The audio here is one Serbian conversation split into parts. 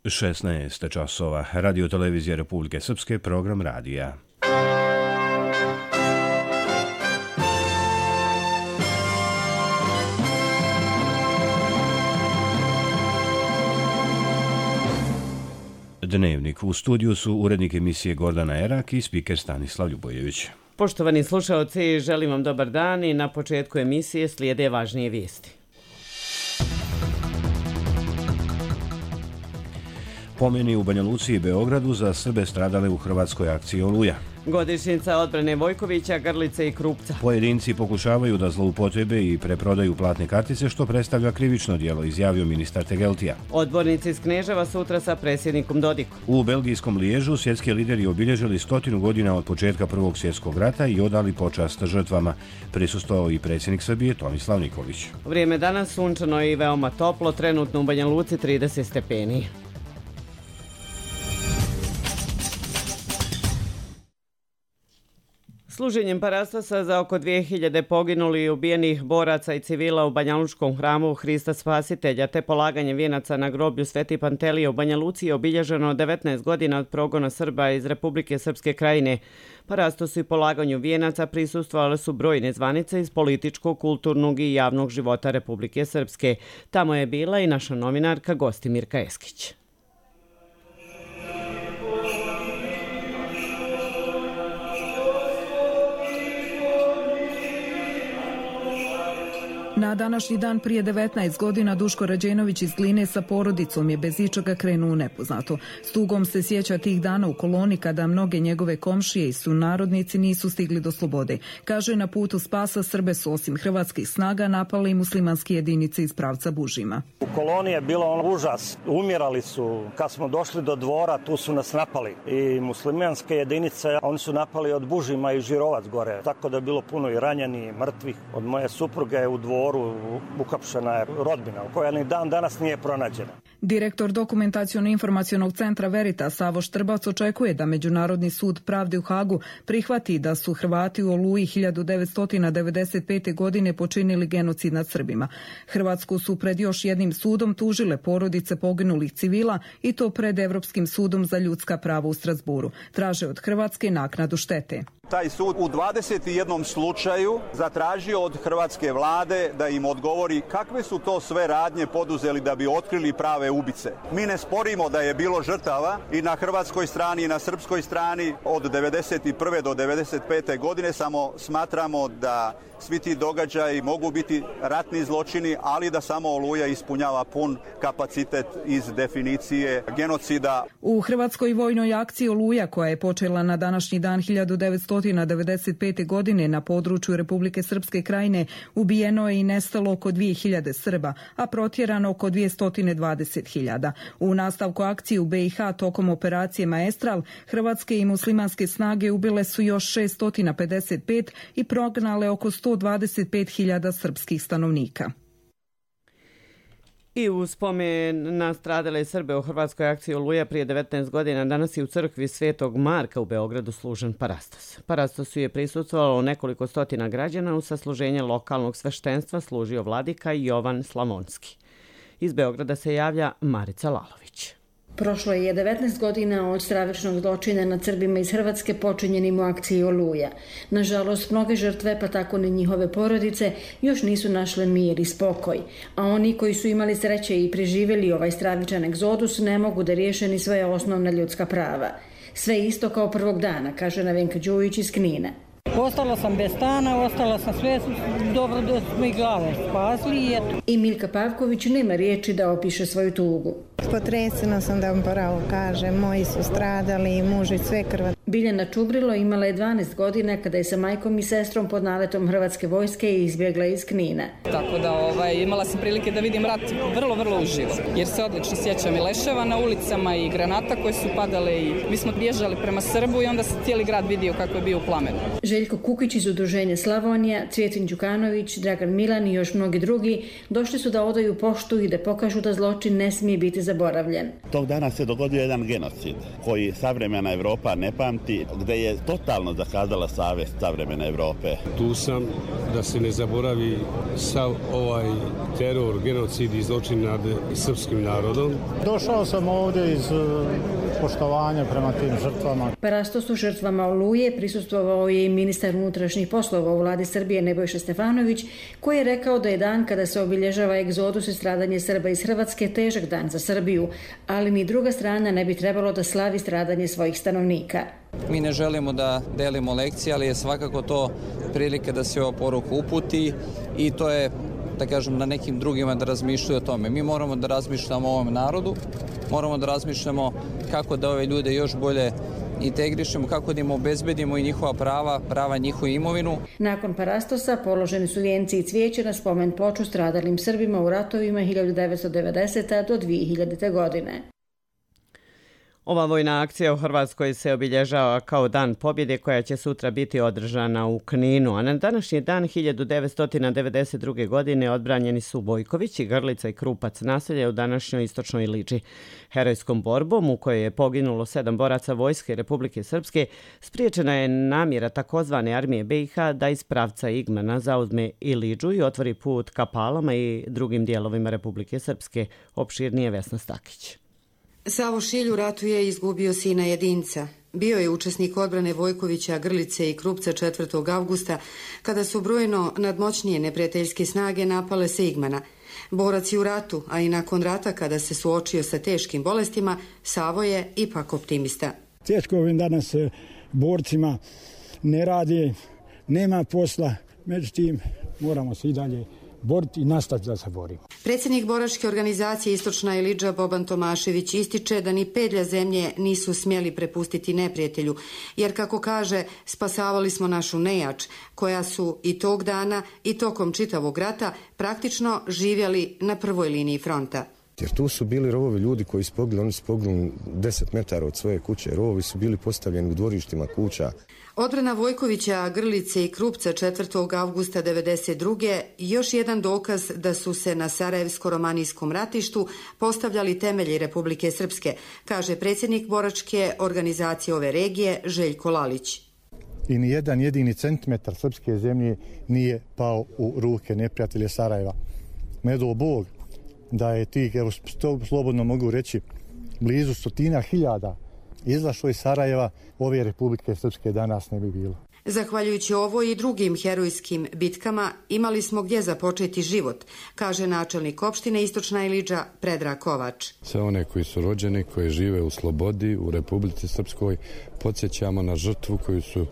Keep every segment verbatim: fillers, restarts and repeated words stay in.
šesnaest časova. Radio televizija Republike Srpske, program radija. Dnevnik. U studiju su urednik emisije Gordana Erak i spiker Stanislav Ljubojević. Poštovani slušaoci, želim vam dobar dan i na početku emisije slijede važnije vijesti. Pomeni u Banja Luci i Beogradu za Srbe stradale u hrvatskoj akciji Oluja. Godišnjica odbrane Vojkovića, Grlice i Krupca. Pojedinci pokušavaju da zloupotrebe i preprodaju platne kartice, što predstavlja krivično djelo, izjavio ministar Tegeltija. Odbornici iz Kneževa sutra sa predsjednikom Dodikom. U belgijskom Liježu svjetski lideri obilježili stotinu godina od početka Prvog svjetskog rata i odali počast žrtvama. Prisustvovao i predsjednik Srbije Tomislav Nikolić. Vrijeme danas sunčano i veoma toplo, trenutno u Banja Luci trideset stepeni. Služenjem parastasa za oko dvije hiljade poginulih i ubijenih boraca i civila u Banjalučkom hramu Hrista Spasitelja te polaganje vijenaca na groblju Sveti Pantelije u Banja Luci je obilježeno devetnaest godina od progona Srba iz Republike Srpske Krajine. Parastosu i polaganju vijenaca prisustvovale su brojne zvanice iz političkog, kulturnog i javnog života Republike Srpske. Tamo je bila i naša novinarka Gostimirka Eskić. Na današnji dan prije devetnaest godina Duško Rađenović iz Gline sa porodicom je bez ičega krenuo u nepoznato. S tugom se sjeća tih dana u koloni kada mnoge njegove komšije i sunarodnici nisu stigli do slobode. Kaže, na putu spasa Srbe su osim hrvatskih snaga napali i muslimanske jedinice iz pravca Bužima. U koloni je bilo on užas. Umirali su. Kad smo došli do dvora, tu su nas napali. I muslimanske jedinice, oni su napali od Bužima i Žirovac gore. Tako da je bilo puno i ranjeni i mrtvih. Od moje supruge u dvoru ukapšena je rodbina, koja ni dan danas nije pronađena. Direktor Dokumentaciono-informacionog centra Veritas Savo Štrbac očekuje da Međunarodni sud pravde u Hagu prihvati da su Hrvati u Oluji hiljadu devetsto devedeset pete. godine počinili genocid nad Srbima. Hrvatsku su pred još jednim sudom tužile porodice poginulih civila i to pred Evropskim sudom za ljudska prava u Strasburu. Traže od Hrvatske naknadu štete. Taj sud u dvadeset jednom slučaju zatražio od hrvatske vlade da im odgovori kakve su to sve radnje poduzeli da bi otkrili prave ubice. Mi ne sporimo da je bilo žrtava i na hrvatskoj strani i na srpskoj strani od devedeset prve do devedeset pete. godine, samo smatramo da svi ti događaji mogu biti ratni zločini, ali da samo Oluja ispunjava pun kapacitet iz definicije genocida. U hrvatskoj vojnoj akciji Oluja, koja je počela na današnji dan hiljadu devetsto devedeset pete. godine na području Republike Srpske Krajine, ubijeno je i nestalo oko dvije hiljade Srba, a protjerano oko dvjesto dvadeset hiljada. U nastavku akcije u B i H tokom operacije Maestral, hrvatske i muslimanske snage ubile su još šeststo pedeset pet i prognale oko sto dvadeset pet hiljada srpskih stanovnika. I u spomen na stradale Srbe u hrvatskoj akciji Oluja prije devetnaest godina danas je u crkvi Svetog Marka u Beogradu služen parastos. Parastosu je prisustvovalo nekoliko stotina građana, u sasluženje lokalnog sveštenstva služio vladika Jovan Slavonski. Iz Beograda se javlja Marica Lalović. Prošlo je devetnaest godina od stravičnog zločina nad Srbima iz Hrvatske počinjenim u akciji Oluja. Nažalost, mnoge žrtve, pa tako ni njihove porodice, još nisu našle mir i spokoj. A oni koji su imali sreće i preživjeli ovaj stravičan egzodus ne mogu da riješe ni svoje osnovna ljudska prava. Sve isto kao prvog dana, kaže Nevenka Đujić iz Knina. Ostala sam bez stana, ostala sam sve, dobro da smo i glave spasli i eto. I Milka Pavković nema riječi da opiše svoju tugu. Potresena sam da vam pravo kažem, moji su stradali, muž i sve krva. Biljana Čubrilo imala je dvanaest godina kada je sa majkom i sestrom pod naletom Hrvatske vojske izbjegla iz Knina. Tako da ovaj, imala sam prilike da vidim rat vrlo, vrlo uživo, jer se odlično sjećam i leševa na ulicama i granata koje su padale i mi smo bježali prema Srbu i onda se cijeli grad vidio kako je bio u plamenu. Željko Kukić iz Udruženja Slavonija, Cvjetin Đukanović, Dragan Milan i još mnogi drugi došli su da odaju poštu i da pokažu da zločin ne smije biti zaboravljen. Tog dana se dogodio jedan genocid koji savremena Evropa ne pamti fronti gde je totalno zakazala savest savremene Evrope. Tu sam da se ne zaboravi sav ovaj teror, genocid i zločin nad srpskim narodom. Došao sam ovdje iz poštovanja prema tim žrtvama. Parastosu žrtvama Oluje prisustvovao je i ministar unutrašnjih poslova u vladi Srbije Nebojša Stefanović, koji je rekao da je dan kada se obilježava egzodus i stradanje Srba iz Hrvatske težak dan za Srbiju, ali ni druga strana ne bi trebalo da slavi stradanje svojih stanovnika. Mi ne želimo da delimo lekcije, ali je svakako to prilike da se ova poruka uputi i to je, da kažem, na nekim drugima da razmišljaju o tome. Mi moramo da razmišljamo o ovom narodu, moramo da razmišljamo kako da ove ljude još bolje integrišemo, kako da im obezbedimo i njihova prava, prava njihovu imovinu. Nakon parastosa položeni su vijenci i cvijeće na spomen ploču stradalim Srbima u ratovima hiljadu devetsto devedesete. do dvije hiljadite. godine. Ova vojna akcija u Hrvatskoj se obilježava kao Dan pobjede koja će sutra biti održana u Kninu, a na današnji dan hiljadu devetsto devedeset druge. godine odbranjeni su Vojković i Grlica i Krupac, naselje u današnjoj istočnoj Liči. Herojskom borbom u kojoj je poginulo sedam boraca Vojske Republike Srpske spriječena je namjera takozvane armije be i ha da iz pravca Igmana zauzme i Liđu i otvori put ka Palama i drugim dijelovima Republike Srpske. Opširnije Vesna Stakić. Savo Šilj u ratu je izgubio sina jedinca. Bio je učesnik odbrane Vojkovića, Grlice i Krupca četvrtog avgusta, kada su brojno nadmoćnije neprijateljske snage napale se Igmana. Borac je u ratu, a i nakon rata, kada se suočio sa teškim bolestima, Savo je ipak optimista. Teško ovim danas borcima ne radi, nema posla, međutim moramo se i dalje boriti i nastaviti da se borimo. Predsjednik boračke organizacije Istočna Ilidža Boban Tomašević ističe da ni pedlja zemlje nisu smjeli prepustiti neprijatelju, jer kako kaže, spasavali smo našu nejač, koja su i tog dana i tokom čitavog rata praktično živjeli na prvoj liniji fronta. Jer tu su bili rovovi ljudi koji su poginuli, oni su poginuli deset metara od svoje kuće, rovovi su bili postavljeni u dvorištima kuća. Odbrana Vojkovića, Grlice i Krupca četvrtog avgusta devedeset druge. još jedan dokaz da su se na Sarajevsko-romanijskom ratištu postavljali temelji Republike Srpske, kaže predsjednik boračke organizacije ove regije Željko Lalić. I ni jedan jedini centimetar srpske zemlje nije pao u ruke neprijatelja Sarajeva. Medo Bog da je tih, evo slobodno mogu reći, blizu stotina hiljada izašlo iz Sarajeva, ove Republike Srpske danas ne bi bilo. Zahvaljujući ovoj i drugim herojskim bitkama imali smo gdje započeti život, kaže načelnik opštine Istočna Ilidža Predrag Kovač. Sve one koji su rođeni, koji žive u slobodi u Republici Srpskoj, podsjećamo na žrtvu koju su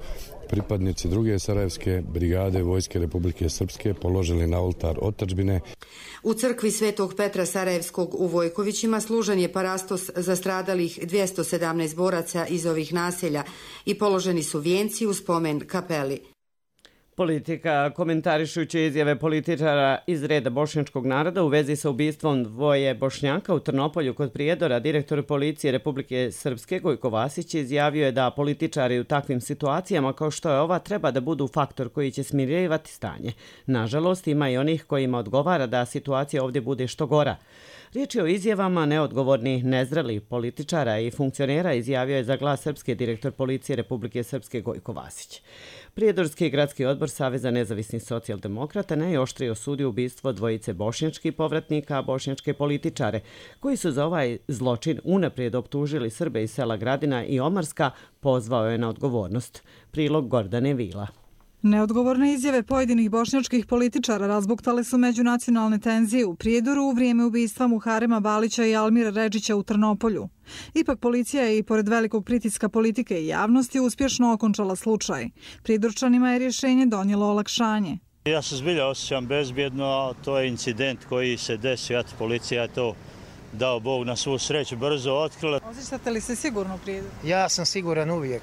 pripadnici druge Sarajevske brigade Vojske Republike Srpske položili na oltar otadžbine. U crkvi Svetog Petra Sarajevskog u Vojkovićima služen je parastos za stradalih dvjesto sedamnaest boraca iz ovih naselja i položeni su vijenci u spomen kapeli. Politika, komentarišući izjave političara iz reda bošnjačkog naroda u vezi sa ubistvom dvoje Bošnjaka u Trnopolju kod Prijedora, direktor policije Republike Srpske Gojko Vasić izjavio je da političari u takvim situacijama kao što je ova treba da budu faktor koji će smirivati stanje. Nažalost, ima i onih kojima odgovara da situacija ovdje bude što gora. Riječ je o izjavama neodgovornih, nezrelih političara i funkcionera, izjavio je za Glas Srpske direktor policije Republike Srpske Gojko Vasić. Prijedorski gradski odbor Saveza nezavisnih socijaldemokrata najoštrije osudio ubistvo dvojice bošnjačkih povratnika, a bošnjačke političare, koji su za ovaj zločin unaprijed optužili Srbe iz sela Gradina i Omarska, pozvao je na odgovornost. Prilog Gordane Vila. Neodgovorne izjave pojedinih bošnjačkih političara razbuktale su međunacionalne tenzije u Prijedoru u vrijeme ubistva Muharema Balića i Almira Redžića u Trnopolju. Ipak policija je i pored velikog pritiska politike i javnosti uspješno okončala slučaj. Prijedorčanima je rješenje donijelo olakšanje. Ja se zbilja osjećam bezbjedno, a to je incident koji se desio, eto policija je to dao Bog na svu sreću brzo otkrila. Osjećate li se sigurno u Prijedoru? Ja sam siguran uvijek.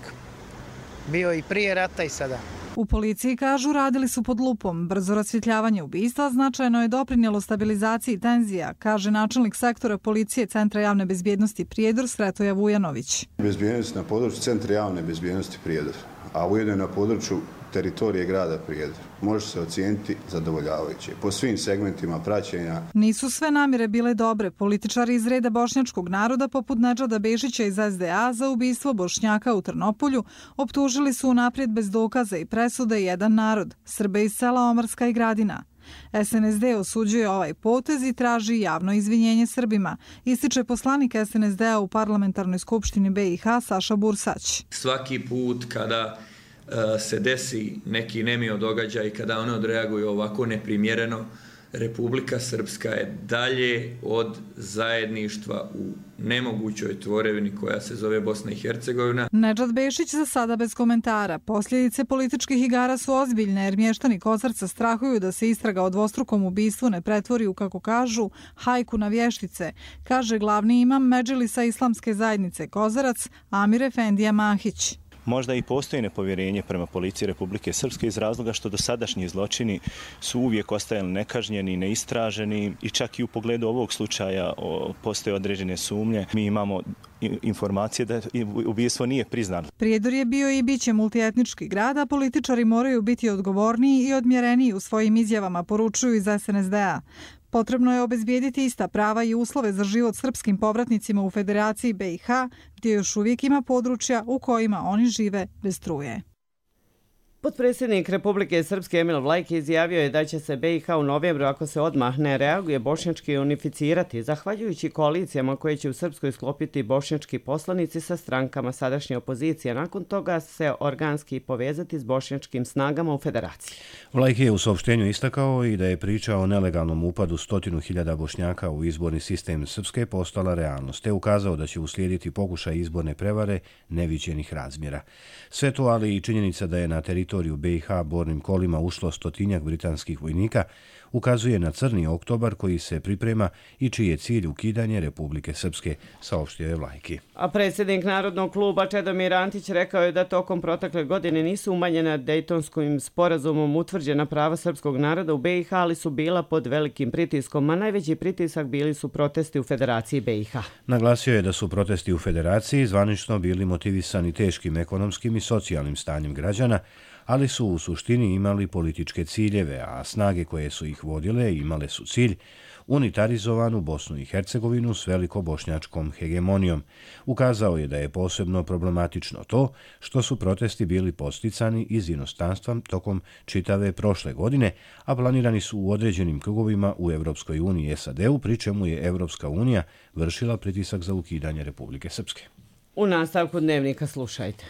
Bio i prije rata i sada. U policiji kažu radili su pod lupom. Brzo rasvjetljavanje ubistva značajno je doprinijelo stabilizaciji tenzija, kaže načelnik sektora policije Centra javne bezbjednosti Prijedor Sretoja Vujanović. Bezbjednost na području Centra javne bezbjednosti Prijedor, a ujedno na području teritorije grada Prijedor može se ocijeniti zadovoljavajuće po svim segmentima praćenja. Nisu sve namjere bile dobre. Političari iz reda bošnjačkog naroda poput Nedžada Bešića iz es de a za ubistvo Bošnjaka u Trnopolju optužili su unaprijed bez dokaza i presude jedan narod, Srbe iz sela Omarska i Gradina. es en es de osuđuje ovaj potez i traži javno izvinjenje Srbima, ističe poslanik es en es de a u Parlamentarnoj skupštini be i ha Saša Bursać. Svaki put kada se desi neki nemio događaj, kada one odreaguju ovako neprimjereno, Republika Srpska je dalje od zajedništva u nemogućoj tvorevini koja se zove Bosna i Hercegovina. Nedžad Bešić za sada bez komentara. Posljedice političkih igara su ozbiljne jer mještani Kozarca strahuju da se istraga o dvostrukom ubistvu ne pretvori u, kako kažu, hajku na vještice, kaže glavni imam Medžlisa islamske zajednice Kozarac Amir Efendija Mahić. Možda i postoji nepovjerenje prema policiji Republike Srpske iz razloga što dosadašnji zločini su uvijek ostajali nekažnjeni, neistraženi i čak i u pogledu ovog slučaja postoje određene sumnje. Mi imamo informacije da ubistvo nije priznano. Prijedor je bio i biće multietnički grad, a političari moraju biti odgovorniji i odmjereniji u svojim izjavama, poručuju iz es en es de a. Potrebno je obezbijediti ista prava i uslove za život srpskim povratnicima u Federaciji be i ha, gdje još uvijek ima područja u kojima oni žive bez struje. Potpredsjednik Republike Srpske Emil Vlajki izjavio je da će se be i ha u novembru, ako se odmah ne reaguje, bošnjački unificirati, zahvaljujući koalicijama koje će u Srpskoj sklopiti bošnjački poslanici sa strankama sadašnje opozicije. Nakon toga se organski povezati s bošnjačkim snagama u federaciji. Vlajki je u saopštenju istakao i da je priča o nelegalnom upadu stotinu hiljada Bošnjaka u izborni sistem Srpske postala realnost, te ukazao da će uslijediti pokušaj izborne prevare neviđenih razmjera. Sve to, ali i činjenica da je na teritoriju teritoriju be i ha bornim kolima ušlo stotinjak britanskih vojnika, ukazuje na crni oktobar koji se priprema i čiji je cilj ukidanje Republike Srpske, saopštio je Vlajki. A predsjednik Narodnog kluba Čedomir Antić rekao je da tokom protekle godine nisu umanjena Dejtonskim sporazumom utvrđena prava srpskog naroda u be i ha, ali su bila pod velikim pritiskom, a najveći pritisak bili su protesti u Federaciji be i ha. Naglasio je da su protesti u Federaciji zvanično bili motivisani teškim ekonomskim i socijalnim stanjem građana, ali su u suštini imali političke ciljeve, a snage koje su ih vodile imale su cilj unitarizovanu Bosnu i Hercegovinu s velikobošnjačkom hegemonijom. Ukazao je da je posebno problematično to što su protesti bili posticani iz inostranstva tokom čitave prošle godine, a planirani su u određenim krugovima u Evropskoj uniji i es a de-u, pri čemu je Evropska unija vršila pritisak za ukidanje Republike Srpske. U nastavku dnevnika slušajte.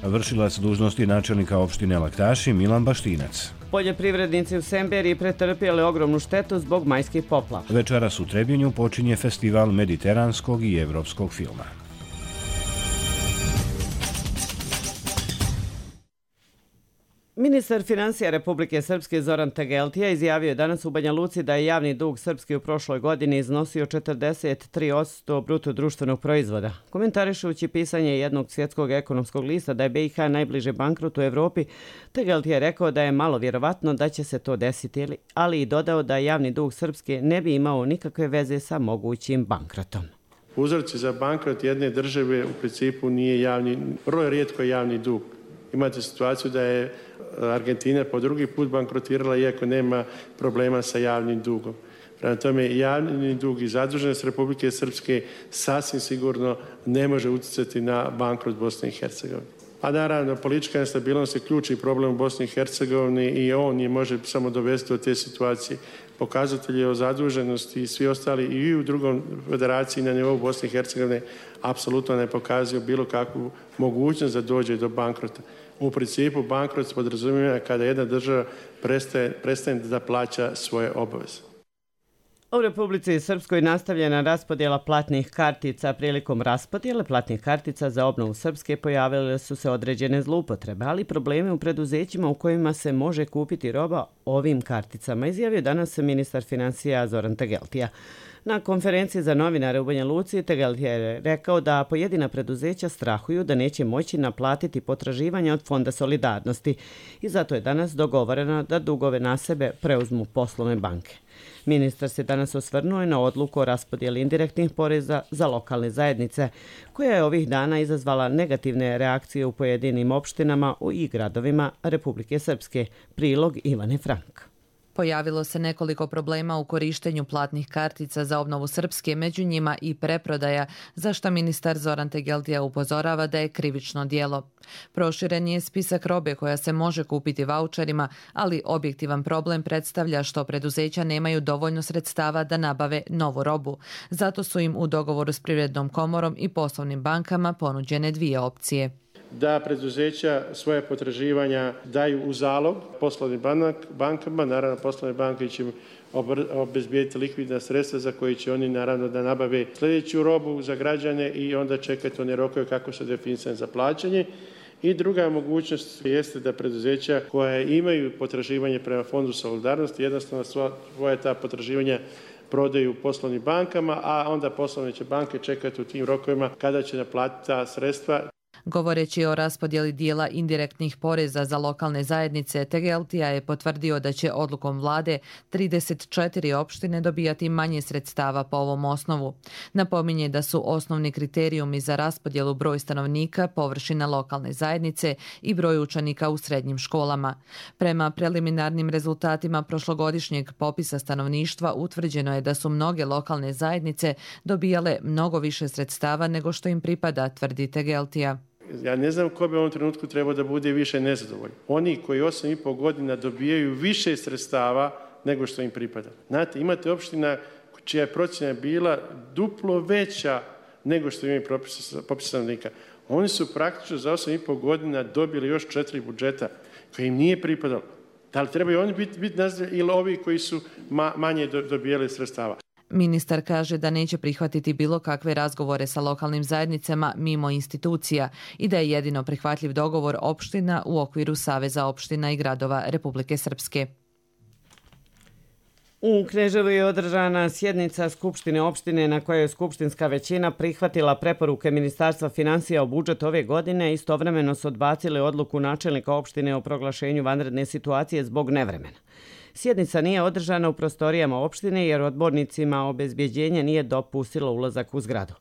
Vršilac dužnosti načelnika opštine Laktaši Milan Baštinac. Poljoprivrednici u Semberiji pretrpjeli ogromnu štetu zbog majskih poplava. Večeras u Trebinju počinje festival mediteranskog i evropskog filma. Ministar financija Republike Srpske Zoran Tegeltija izjavio je danas u Banja Luci da je javni dug Srpske u prošloj godini iznosio četrdeset tri posto bruto društvenog proizvoda. Komentarišući pisanje jednog svjetskog ekonomskog lista da je be i ha najbliže bankrotu u Evropi, Tegeltija je rekao da je malo vjerovatno da će se to desiti, ali i dodao da javni dug Srpske ne bi imao nikakve veze sa mogućim bankrotom. Uzorci za bankrot jedne države u principu nije javni, vrlo je rijetko javni dug. Imate situaciju da je Argentina po drugi put bankrotirala iako nema problema sa javnim dugom. Prema tome, javni dug i zaduženost Republike Srpske sasvim sigurno ne može utjecati na bankrot Bosne i Hercegovine. A naravno, politička nestabilnost je ključni problem u Bosni i Hercegovini i on je može samo dovesti do te situacije. Pokazatelji o zaduženosti i svi ostali i u drugom federaciji na nivou Bosne i Hercegovine apsolutno ne pokazuju bilo kakvu mogućnost da dođe do bankrota. U principu bankrot se podrazumijeva kada jedna država prestaje, prestaje da plaća svoje obaveze. U Republici Srpskoj nastavljena raspodjela platnih kartica. Prilikom raspodjele platnih kartica za obnovu Srpske pojavile su se određene zloupotrebe, ali probleme u preduzećima u kojima se može kupiti roba ovim karticama, izjavio danas ministar financija Zoran Tegeltija. Na konferenciji za novinare u Banja Luci Tegeltija je rekao da pojedina preduzeća strahuju da neće moći naplatiti potraživanja od Fonda solidarnosti i zato je danas dogovoreno da dugove na sebe preuzmu poslovne banke. Ministar se danas osvrnuo na odluku o raspodjeli indirektnih poreza za lokalne zajednice, koja je ovih dana izazvala negativne reakcije u pojedinim opštinama i gradovima Republike Srpske. Prilog Ivane Frank. Pojavilo se nekoliko problema u korištenju platnih kartica za obnovu Srpske, među njima i preprodaja, za što ministar Zoran Tegeltija upozorava da je krivično djelo. Proširen je spisak robe koja se može kupiti vaučerima, ali objektivan problem predstavlja što preduzeća nemaju dovoljno sredstava da nabave novu robu. Zato su im u dogovoru s Privrednom komorom i poslovnim bankama ponuđene dvije opcije. Da preduzeća svoje potraživanja daju u zalog poslovnim bankama, naravno poslovne banke će obezbijediti likvidna sredstva za koje će oni naravno da nabave sljedeću robu za građane i onda čekati one rokove kako su definisane za plaćanje. I druga mogućnost jeste da preduzeća koja imaju potraživanje prema Fondu solidarnosti jednostavno svoje ta potraživanja prodaju poslovnim bankama, a onda poslovne će banke čekati u tim rokovima kada će naplatiti ta sredstva. Govoreći o raspodjeli dijela indirektnih poreza za lokalne zajednice, Tegeltija je potvrdio da će odlukom vlade trideset četiri opštine dobijati manje sredstava po ovom osnovu. Napominje da su osnovni kriterijumi za raspodjelu broj stanovnika, površina lokalne zajednice i broj učenika u srednjim školama. Prema preliminarnim rezultatima prošlogodišnjeg popisa stanovništva utvrđeno je da su mnoge lokalne zajednice dobijale mnogo više sredstava nego što im pripada, tvrdi Tegeltija. Ja ne znam ko bi u ovom trenutku trebao da bude više nezadovoljni. Oni koji osam i pol godina dobijaju više sredstava nego što im pripada. Znate, imate opština čija je procjena bila duplo veća nego što imaju popis stanovnika. Oni su praktično za osam i pol godina dobili još četiri budžeta koji im nije pripadalo. Da li trebaju oni biti, biti nazdravljeni ili ovi koji su ma, manje dobijali sredstava? Ministar kaže da neće prihvatiti bilo kakve razgovore sa lokalnim zajednicama mimo institucija i da je jedino prihvatljiv dogovor opština u okviru Saveza opština i gradova Republike Srpske. U Kneževu je održana sjednica Skupštine opštine na kojoj je skupštinska većina prihvatila preporuke Ministarstva financija o budžetu ove godine. Istovremeno su odbacili odluku načelnika opštine o proglašenju vanredne situacije zbog nevremena. Sjednica nije održana u prostorijama opštine jer odbornicima obezbjeđenje nije dopustilo ulazak u zgradu.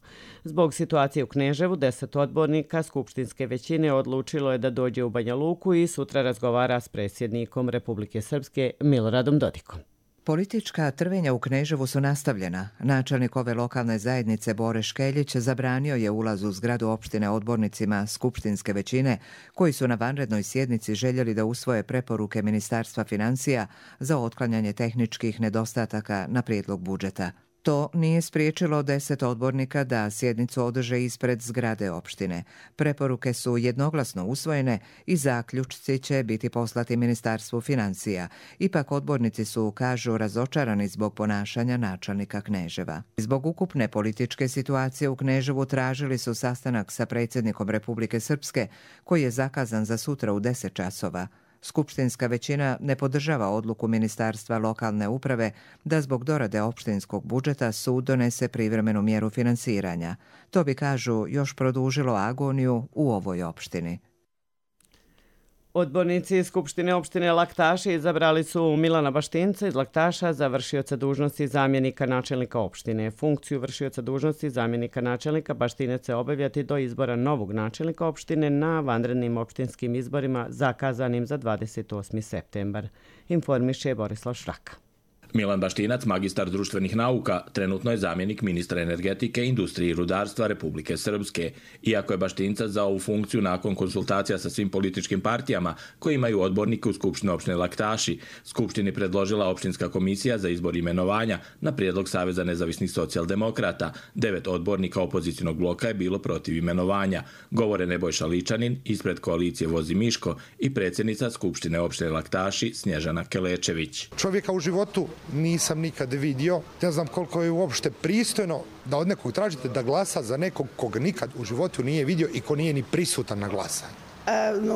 Zbog situacije u Kneževu, deset odbornika skupštinske većine odlučilo je da dođe u Banja Luku i sutra razgovara s predsjednikom Republike Srpske Miloradom Dodikom. Politička trvenja u Kneževu su nastavljena. Načelnik ove lokalne zajednice Bore Škeljić zabranio je ulaz u zgradu opštine odbornicima skupštinske većine koji su na vanrednoj sjednici željeli da usvoje preporuke Ministarstva financija za otklanjanje tehničkih nedostataka na prijedlog budžeta. To nije spriječilo deset odbornika da sjednicu održe ispred zgrade opštine. Preporuke su jednoglasno usvojene i zaključci će biti poslati Ministarstvu financija. Ipak odbornici su, kažu, razočarani zbog ponašanja načelnika Kneževa. Zbog ukupne političke situacije u Kneževu tražili su sastanak sa predsjednikom Republike Srpske koji je zakazan za sutra u deset časova. Skupštinska većina ne podržava odluku Ministarstva lokalne uprave da zbog dorade opštinskog budžeta sud donese privremenu mjeru finansiranja. To bi, kažu, još produžilo agoniju u ovoj opštini. Odbornici Skupštine opštine Laktaši izabrali su Milana Baštinca iz Laktaša za vršioca dužnosti zamjenika načelnika opštine. Funkciju vršioca dužnosti zamjenika načelnika Baštinec će obavljati do izbora novog načelnika opštine na vanrednim opštinskim izborima zakazanim za dvadeset osmi septembar, informiše Borislav Šraka. Milan Baštinac, magistar društvenih nauka, trenutno je zamjenik ministra energetike, industrije i rudarstva Republike Srpske. Iako je Baštincac za ovu funkciju nakon konsultacija sa svim političkim partijama koji imaju odbornike u Skupštini opštine Laktaši, Skupštini predložila opštinska komisija za izbor imenovanja na prijedlog Saveza nezavisnih socijaldemokrata. Devet odbornika opozicijnog bloka je bilo protiv imenovanja. Govore Nebojša Ličanin, ispred koalicije Vozi Miško i predsjednica Skupštine opštine Laktaši Snježana Kelečević. Čovjeka u životu nisam nikad vidio. Ja znam koliko je uopšte pristojno da od nekog tražite da glasa za nekog koga nikad u životu nije vidio i ko nije ni prisutan na glasanju.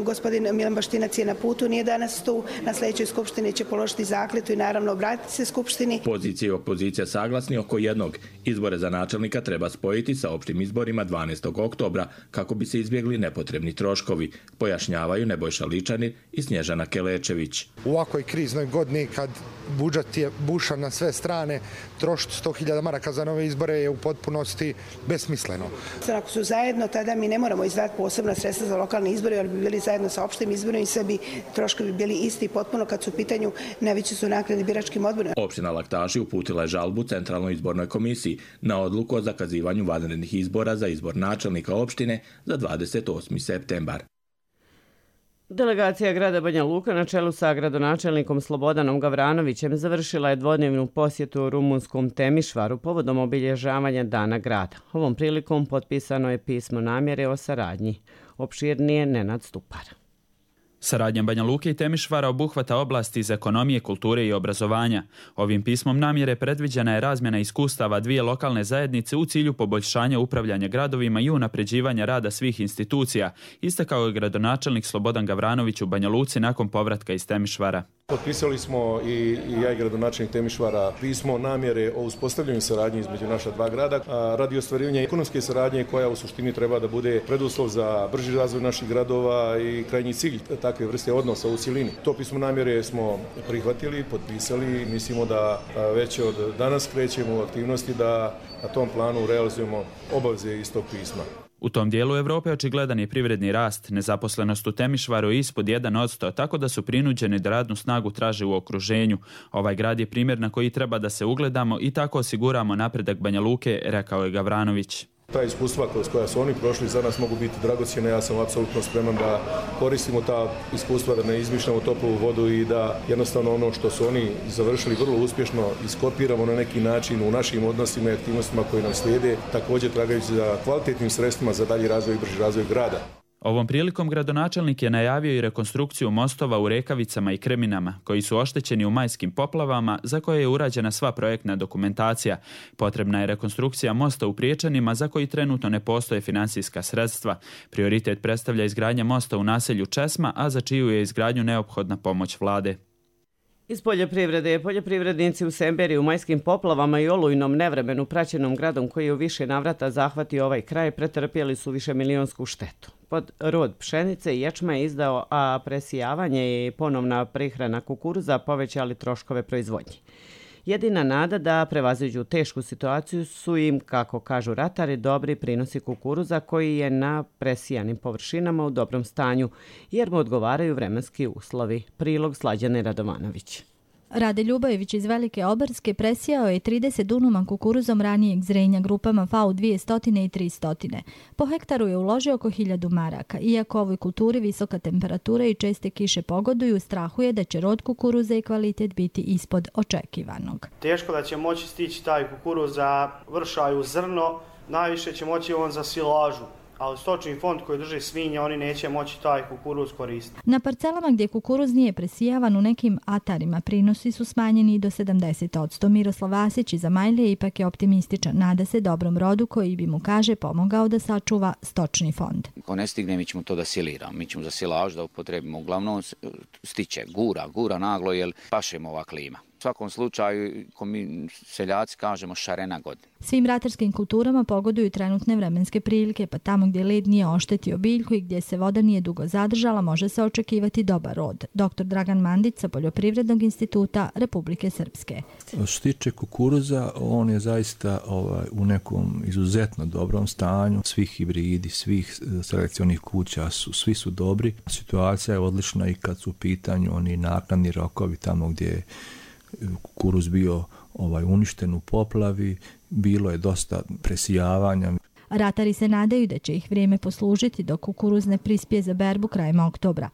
Gospodin Milan Baštinac je na putu, nije danas tu. Na sljedećoj skupštini će položiti zakletvu i naravno obratiti se skupštini. Pozicija i opozicija saglasni oko jednog. Izbore za načelnika treba spojiti sa opštim izborima dvanaestog oktobra kako bi se izbjegli nepotrebni troškovi, pojašnjavaju Nebojša Ličanin i Snježana Kelečević. U ovakvoj kriznoj godini kad budžet je bušan na sve strane, trošiti sto hiljada maraka za nove izbore je u potpunosti besmisleno. Ako su zajedno, tada mi ne moramo izdati posebna sredstva za lokalne izbore, jer bi bili zajedno sa opštim izborima i sve bi troškovi bili isti potpuno kad su u pitanju najveće su naknade biračkim odborima. Opština Laktaši uputila je žalbu Centralnoj izbornoj komisiji na odluku o zakazivanju vanrednih izbora za izbor načelnika opštine za dvadeset osmi septembar. Delegacija grada Banja Luka na čelu sa gradonačelnikom Slobodanom Gavranovićem završila je dvodnevnu posjetu rumunskom Temišvaru povodom obilježavanja Dana grada. Ovom prilikom potpisano je pismo namjere o saradnji. Opširnije Nenad Stupar. Saradnja Banja Luke i Temišvara obuhvata oblasti iz ekonomije, kulture i obrazovanja. Ovim pismom namjere predviđena je razmjena iskustava dvije lokalne zajednice u cilju poboljšanja upravljanja gradovima i unapređivanja rada svih institucija, istakao je gradonačelnik Slobodan Gavranović u Banja Luci nakon povratka iz Temišvara. Potpisali smo i, i ja i gradonačelnik Temišvara pismo namjere o uspostavljanju saradnje između naša dva grada a, radi ostvarivanja ekonomske saradnje koja u suštini treba da bude preduslov za brži razvoj naših gradova i krajnji cilj takve vrste odnosa u cjelini. To pismo namjere smo prihvatili, potpisali i mislimo da već od danas krećemo u aktivnosti da na tom planu realizujemo obaveze iz tog pisma. U tom dijelu Evrope očigledan je privredni rast, nezaposlenost u Temišvaru je ispod jedan posto, tako da su prinuđeni da radnu snagu traže u okruženju. Ovaj grad je primjer na koji treba da se ugledamo i tako osiguramo napredak Banja Luke, rekao je Gavranović. Ta iskustva kroz koja su oni prošli za nas mogu biti dragocjene. Ja sam apsolutno spreman da koristimo ta iskustva, da ne izmišljamo toplu vodu i da jednostavno ono što su oni završili vrlo uspješno iskopiramo na neki način u našim odnosima i aktivnostima koji nam slijede, također tragajući za kvalitetnim sredstvima za dalji razvoj i brži razvoj grada. Ovom prilikom gradonačelnik je najavio i rekonstrukciju mostova u Rekavicama i Kreminama, koji su oštećeni u majskim poplavama, za koje je urađena sva projektna dokumentacija. Potrebna je rekonstrukcija mosta u Priječanima, za koji trenutno ne postoje finansijska sredstva. Prioritet predstavlja izgradnja mosta u naselju Česma, a za čiju je izgradnju neophodna pomoć vlade. Iz poljoprivrede, poljoprivrednici u Semberiji u majskim poplavama i olujnom nevremenu praćenom gradom koji je u više navrata zahvatio ovaj kraj pretrpjeli su višemilijonsku štetu. Pod rod pšenice i ječma je izdao, a presijavanje i ponovna prihrana kukuruza povećali troškove proizvodnje. Jedina nada da prevaziđu tešku situaciju su im, kako kažu ratari, dobri prinosi kukuruza koji je na presijanim površinama u dobrom stanju, jer mu odgovaraju vremenski uslovi. Prilog Slađane Radovanović. Rade Ljubajević iz Velike Obarske presijao je trideset dunuma kukuruzom ranijeg zrenja grupama F A U dvjesto i tristo. Po hektaru je uložio oko hiljadu maraka. Iako ovoj kulturi visoka temperatura i česte kiše pogoduju, strahuje da će rod kukuruza i kvalitet biti ispod očekivanog. Teško da će moći stići taj kukuruz za vršaju zrno, najviše će moći on za silažu. Ali stočni fond koji drži svinje, oni neće moći taj kukuruz koristiti. Na parcelama gdje kukuruz nije presijavan u nekim atarima prinosi su smanjeni do sedamdeset posto. Miroslav Vasić iz Amajlije ipak je optimističan. Nada se dobrom rodu koji bi mu, kaže, pomogao da sačuva stočni fond. Ako ne stigne, mi ćemo to da siliramo. Mi ćemo za silaž da upotrebimo. Uglavnom stiće gura, gura naglo jer pašemo ova klima. U svakom slučaju, ko mi seljaci kažemo, šarena godina. Svim ratarskim kulturama pogoduju trenutne vremenske prilike, pa tamo gdje led nije oštetio biljku i gdje se voda nije dugo zadržala, može se očekivati dobar rod. doktor Dragan Mandić sa Poljoprivrednog instituta Republike Srpske. Što se tiče kukuruza, on je zaista ovaj, u nekom izuzetno dobrom stanju. Svih hibridi, svih selekcionih kuća, su, svi su dobri. Situacija je odlična i kad su u pitanju oni naknadni rokovi tamo gdje je kukuruz bio ovaj uništen u poplavi, bilo je dosta presijavanja. Ratari se nadaju da će ih vrijeme poslužiti dok kukuruz ne prispije za berbu krajem oktobra.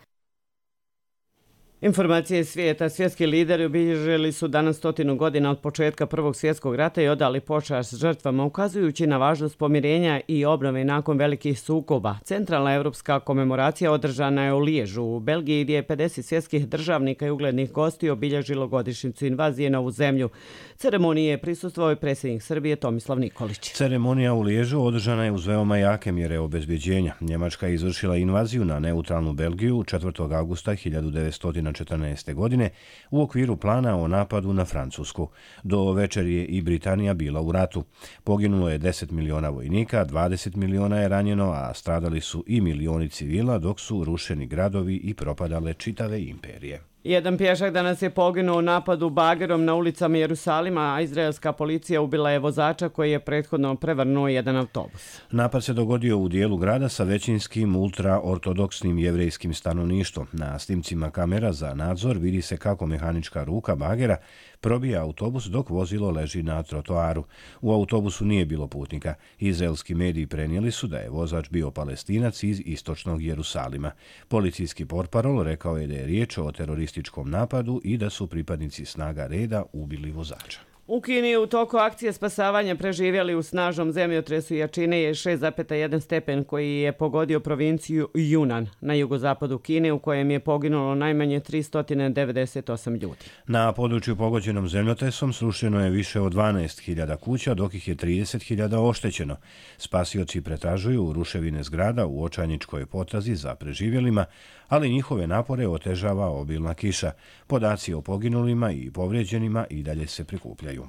Informacije svijeta. Svjetski lideri obilježili su danas stotinu godina od početka Prvog svjetskog rata i odali počast žrtvama, ukazujući na važnost pomirenja i obnove nakon velikih sukoba. Centralna evropska komemoracija održana je u Liježu, u Belgiji, gdje je pedeset svjetskih državnika i uglednih gostiju obilježilo godišnjicu invazije na ovu zemlju. Ceremoniji je prisustvovao i predsjednik Srbije Tomislav Nikolić. Ceremonija u Liježu održana je uz veoma jake mjere obezbjeđenja. Njemačka je izvršila invaziju na neutralnu Belgiju četvrtog avgusta hiljadu devetsto četrnaeste. godine u okviru plana o napadu na Francusku. Do večer je i Britanija bila u ratu. Poginulo je deset miliona vojnika, dvadeset miliona je ranjeno, a stradali su i milioni civila, dok su rušeni gradovi i propadale čitave imperije. Jedan pješak danas je poginuo u napadu bagerom na ulicama Jerusalima, a izraelska policija ubila je vozača koji je prethodno prevrnuo jedan autobus. Napad se dogodio u dijelu grada sa većinskim ultraortodoksnim jevrejskim stanovništvom. Na snimcima kamera za nadzor vidi se kako mehanička ruka bagera probija autobus dok vozilo leži na trotoaru. U autobusu nije bilo putnika. Izraelski mediji prenijeli su da je vozač bio Palestinac iz istočnog Jerusalima. Policijski portparol rekao je da je riječ o terorističkom napadu i da su pripadnici snaga reda ubili vozača. U Kini u toku akcije spasavanja preživjeli u snažnom zemljotresu jačine je šest zarez jedan stepen koji je pogodio provinciju Yunnan na jugozapadu Kine, u kojem je poginulo najmanje tristo devedeset osam ljudi. Na području pogođenom zemljotresom srušeno je više od dvanaest hiljada kuća, dok ih je trideset hiljada oštećeno. Spasioci pretražuju ruševine zgrada u očajničkoj potrazi za preživjelima, ali njihove napore otežava obilna kiša. Podaci o poginulima i povrijeđenima i dalje se prikupljaju.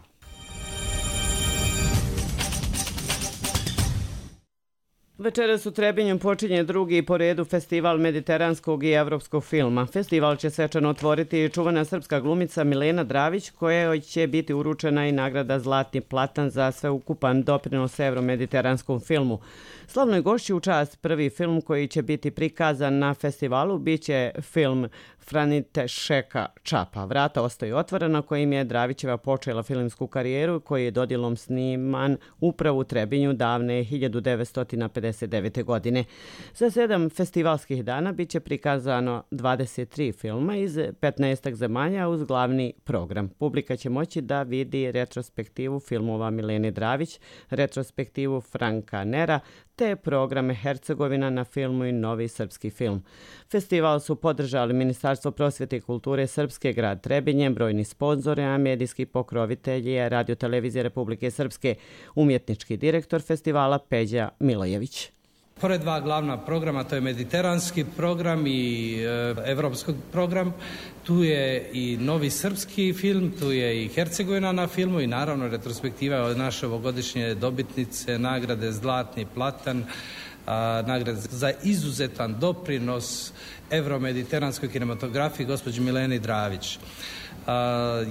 Večeras u Trebinju počinje drugi po redu festival mediteranskog i evropskog filma. Festival će svečano otvoriti čuvena srpska glumica Milena Dravić, kojoj će biti uručena i nagrada Zlatni platan za sveukupan doprinos evromediteranskom filmu. Slavnoj gošći u čast prvi film koji će biti prikazan na festivalu biće film Franite Šeka Čapa. Vrata ostaju otvorena kojim je Dravićeva počela filmsku karijeru koji je dodjelom sniman upravo u Trebinju davne hiljadu devetsto pedeset devete. godine. Za sedam festivalskih dana biće prikazano dvadeset tri filma iz petnaest zemalja uz glavni program. Publika će moći da vidi retrospektivu filmova Milene Dravić, retrospektivu Franka Nera, te programe Hercegovina na filmu i novi srpski film. Festival su podržali Ministarstvo prosvjete i kulture Srpske, grad Trebinje, brojni sponzori, a medijski pokrovitelji je Radio televizije Republike Srpske, umjetnički direktor festivala Peđa Milojević. Pored dva glavna programa, to je mediteranski program i e, evropski program, tu je i novi srpski film, tu je i Hercegovina na filmu i naravno retrospektiva od naše ovogodišnje dobitnice nagrade Zlatni platan, a, nagrade za izuzetan doprinos evromediteranskoj kinematografiji gospođi Mileni Dravić. Uh,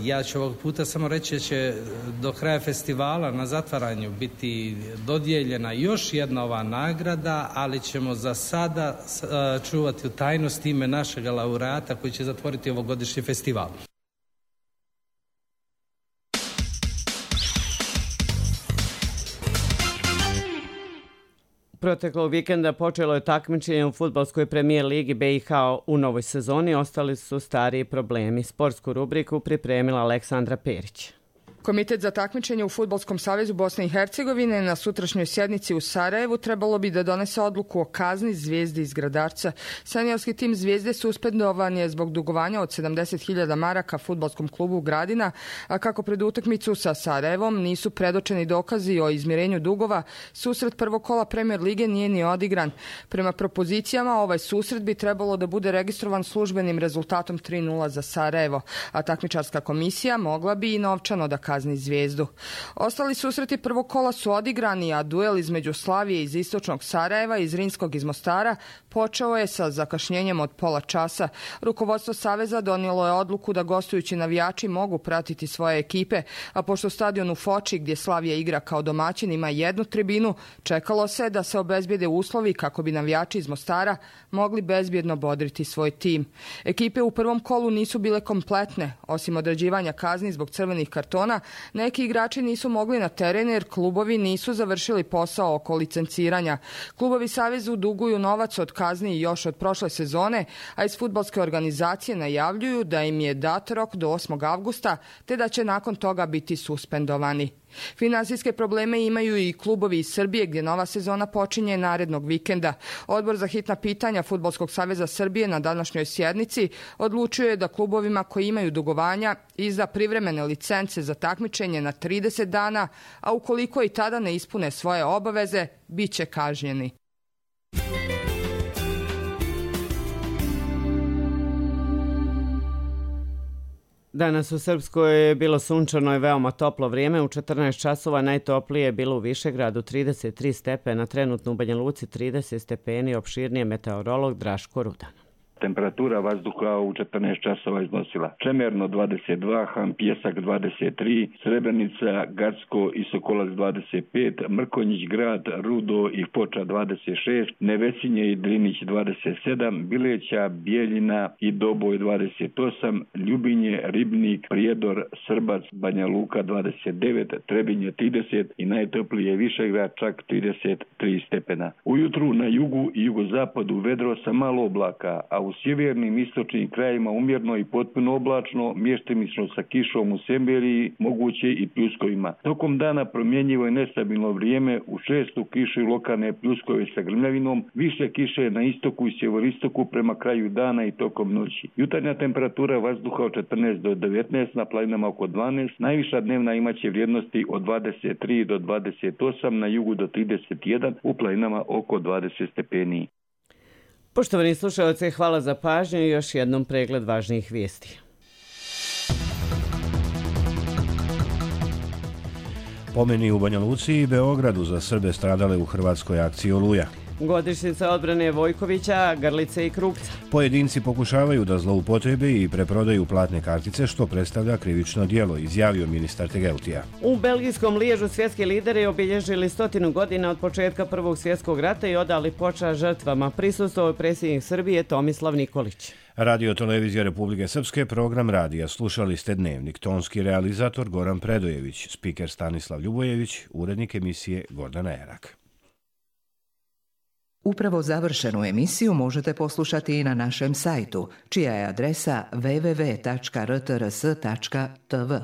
ja ću ovog puta samo reći da će do kraja festivala na zatvaranju biti dodijeljena još jedna ova nagrada, ali ćemo za sada uh, čuvati u tajnosti ime našeg laureata koji će zatvoriti ovogodišnji festival. Proteklog vikenda počelo je takmičenje u fudbalskoj premijer ligi B i H u novoj sezoni. Ostali su stariji problemi. Sportsku rubriku pripremila Aleksandra Perić. Komitet za takmičenje u Fudbalskom savezu Bosne i Hercegovine na sutrašnjoj sjednici u Sarajevu trebalo bi da donese odluku o kazni Zvijezdi iz Gradarca. Seniorski tim Zvijezde suspendovan je zbog dugovanja od sedamdeset hiljada maraka fudbalskom klubu Gradina, a kako pred utakmicu sa Sarajevom nisu predočeni dokazi o izmirenju dugova, susret prvog kola Premier lige nije ni odigran. Prema propozicijama ovaj susret bi trebalo da bude registrovan službenim rezultatom tri nula za Sarajevo, a takmičarska komisija mogla bi i novčano da kazni Zvijezdu. Ostali susreti prvog kola su odigrani, a duel između Slavije iz istočnog Sarajeva i Zrinskog iz Mostara počeo je sa zakašnjenjem od pola časa. Rukovodstvo Saveza donijelo je odluku da gostujući navijači mogu pratiti svoje ekipe, a pošto stadion u Foči gdje Slavija igra kao domaćin ima jednu tribinu, čekalo se da se obezbijede uslovi kako bi navijači iz Mostara mogli bezbjedno bodriti svoj tim. Ekipe u prvom kolu nisu bile kompletne, osim određivanja kazni zbog crvenih kartona, dana neki igrači nisu mogli na teren jer klubovi nisu završili posao oko licenciranja. Klubovi Savezu duguju novac od kazni još od prošle sezone, a iz fudbalske organizacije najavljuju da im je dat rok do osmog avgusta, te da će nakon toga biti suspendovani. Finansijske probleme imaju i klubovi iz Srbije gdje nova sezona počinje narednog vikenda. Odbor za hitna pitanja Fudbalskog saveza Srbije na današnjoj sjednici odlučuje da klubovima koji imaju dugovanja izda privremene licence za takmičenje na trideset dana, a ukoliko i tada ne ispune svoje obaveze, bit će kažnjeni. Danas u Srpskoj je bilo sunčano i veoma toplo vrijeme. U četrnaest časova najtoplije je bilo u Višegradu trideset tri stepena, trenutno u Banja Luci trideset stepeni, opširnije meteorolog Draško Rudan. Temperatura vazduha u četrnaest časova iznosila Čemerno dvadeset dva, Han Pjesak dvadeset tri, Srebrenica, Gacko i Sokolac dvadeset pet, Mrkonjić Grad, Rudo i Foča dvadeset šest, Nevesinje i Drinić dvadeset sedam, Bileća, Bijeljina i Doboj dvadeset osam, Ljubinje, Ribnik, Prijedor, Srbac, Banja Luka dvadeset devet, Trebinje trideset i najtoplije Višegrad čak trideset tri stepena. Ujutru na jugu i jugozapadu vedro sa malo oblaka, a u sjevernim istočnim krajima umjerno i potpuno oblačno, mještimično sa kišom u Semberiji, moguće i pljuskovima. Tokom dana promjenjivo je nestabilno vrijeme, u šestu kiše lokalne pljuskove sa grmljavinom, više kiše na istoku i sjeveristoku prema kraju dana i tokom noći. Jutarnja temperatura vazduha od četrnaest do devetnaest, na planinama oko dvanaest, najviša dnevna imaće vrijednosti od dvadeset tri do dvadeset osam, na jugu do trideset jedan, u planinama oko dvadeset stepeni. Poštovani slušalci, hvala za pažnju i još jednom pregled važnijih vijesti. Pomeni u Banja Luci i Beogradu za Srbe stradale u hrvatskoj akciji Oluja. Godišnjica odbrane Vojkovića, Grlice i Krupca. Pojedinci pokušavaju da zloupotrebe i preprodaju platne kartice, što predstavlja krivično djelo, izjavio ministar Tegeltija. U belgijskom Liježu svjetski lideri obilježili stotinu godina od početka Prvog svjetskog rata i odali počast žrtvama. Prisustvovao je predsjednik Srbije Tomislav Nikolić. Radio Televizija Republike Srpske, program radija. Slušali ste Dnevnik. Tonski realizator Goran Predojević, spiker Stanislav Ljubojević, urednik emisije Gordana Erak. Upravo završenu emisiju možete poslušati i na našem sajtu, čija je adresa w w w tačka r t r s tačka t v.